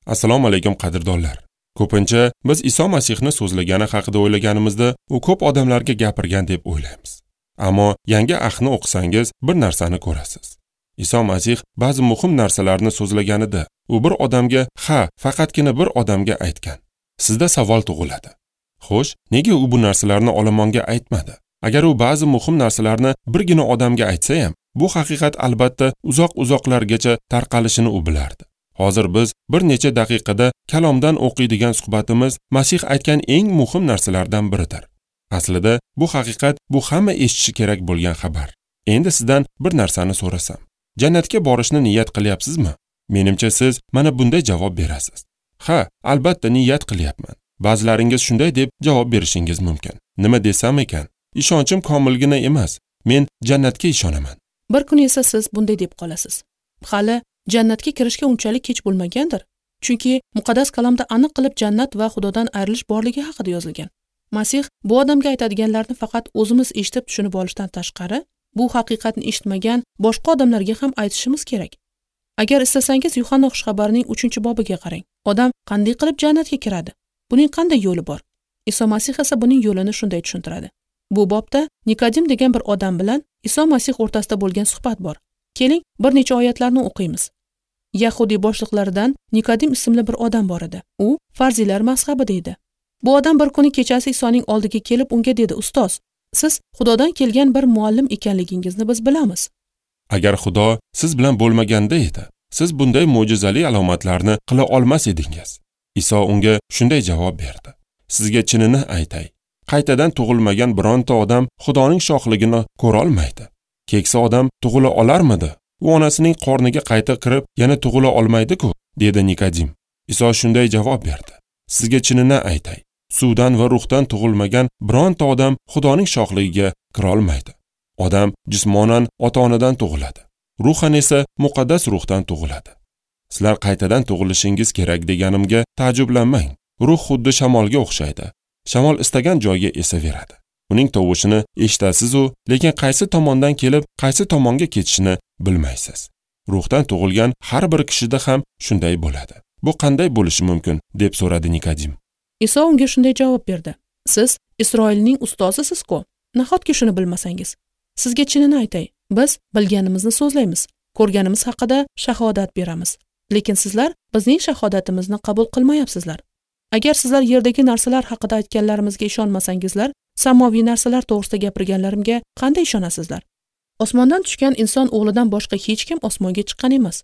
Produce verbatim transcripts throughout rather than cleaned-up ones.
Assalomu alaykum qadrdonlar. Ko'pincha biz Iso Masihni so'zlagani haqida o'ylaganimizda u ko'p odamlarga gapirgan deb o'ylaymiz. Ammo yangi ahdni o'qisangiz bir narsani ko'rasiz. Iso Masih ba'zi muhim narsalarni so'zlaganida u bir odamga, ha, faqatgina bir odamga aytgan. Sizda savol tug'iladi. Xo'sh, nega u bu narsalarni olomonga aytmadi? Agar u ba'zi muhim narsalarni birgina odamga aytsa ham, bu haqiqat albatta uzoq-uzoqlargacha tarqalishini u bilardi. Hozir biz bir necha daqiqada kalomdan o'qiydigan suhbatimiz Masih aytgan eng muhim narsalardan biridir. Aslida bu haqiqat, bu hamma eshitishi kerak bo'lgan xabar. Endi sizdan bir narsani so'rasam, jannatga borishni niyat qilyapsizmi? Menimcha siz mana bunday javob berasiz. Ha, albatta niyat qilyapman. Ba'zilaringiz shunday deb javob berishingiz mumkin. Nima desam ekan? Ishonchim komilgina emas. Men jannatga ishonaman. Bir kun esa siz bunday deb qolasiz. Hali jannatga kirishga unchalik kech bo'lmagandir. Chunki muqaddas kalomda aniq qilib jannat va Xudodan ayrilish borligi haqida yozilgan. Masih bu odamga aytadiganlarni faqat o'zimiz eshitib tushunib olishdan tashqari, bu haqiqatni eshitmagan boshqa odamlarga ham aytishimiz kerak. Agar istasangiz Yuhanna xushxabarining uchinchi bobiga qarang. Odam qanday qilib jannatga kiradi? Buning qanday yo'li bor? Iso Masih esa buning yo'lini shunday tushuntiradi. Bu bobda Nikodim degan bir odam bilan Iso Masih o'rtasida bo'lgan suhbat bor. Keling, bir necha oyatlarni o'qiymiz. Yahudiy boshliqlaridan Nikodim ismli bir odam bor edi. U farziylar mazhabida edi. Bu odam bir kuni kechasi Isoning oldiga kelib unga dedi: "Ustoz, siz Xudodan kelgan bir muallim ekanligingizni biz bilamiz. Agar Xudo siz bilan bo'lmaganda edi, siz bunday mo'jizali alomatlarni qila olmas edingiz." Iso unga shunday javob berdi: "Sizga chinini aytay, qaytadan tug'ilmagan bironta odam Xudoning shohligini ko'ra olmaydi. Keksa odam tug'ila olarmidi? U onasining qorniga qayta kirib yana tug'ila olmaydi-ku", dedi Nikodim. Iso shunday javob berdi: "Sizga chinini aytay, suvdan va ruhdan tug'ilmagan bironta odam Xudoning shohligiga kira olmaydi. Odam jismonan ota-onadan tug'iladi, ruhan esa muqaddas ruhdan tug'iladi. Sizlar qaytadan tug'ilishingiz kerak deganimga ta'jublanmang. Ruh xuddi shamolga o'xshaydi. Shamol istagan joyga esaveradi. Uning tovushini eshitasiz-u, lekin qaysi tomondan kelib, qaysi tomonga ketishini bilmaysiz. Ruhdan tug'ilgan har bir kishida ham shunday bo'ladi. Bu qanday bo'lishi mumkin?" deb so'radi Nikodim. Iso unga shunday javob berdi: "Siz Isroilning ustozisiz-ku, nahotki shuni bilmasangiz? Sizga chinini aytay, biz bilganimizni so'zlaymiz, ko'rganimiz haqida shahodat beramiz. Lekin sizlar bizning shahodatimizni qabul qilmayapsizlar. Agar sizlar yerdagi narsalar haqida aytganlarimizga ishonmasangizlar, samoviy narsalar to'g'risida gapirganlarimga qanday ishonasizlar? Osmondan tushgan inson o'g'lidan boshqa hech kim osmonga chiqqan emas.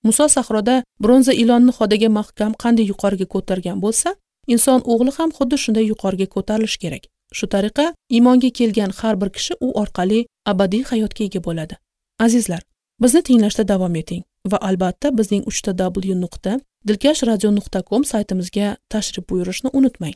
Muso sahroda bronza ilonni xodaga mahkam qanday yuqoriga ko'targan bo'lsa, inson o'g'li ham xuddi shunday yuqoriga ko'tarilishi kerak. Shu tariqa iymonga kelgan har bir kishi u orqali abadiy hayotga ega bo'ladi." Azizlar, bizni tinglashda davom eting va albatta bizning uch ta w nuqta dilkash radio nuqta com saytimizga tashrif buyurishni unutmang.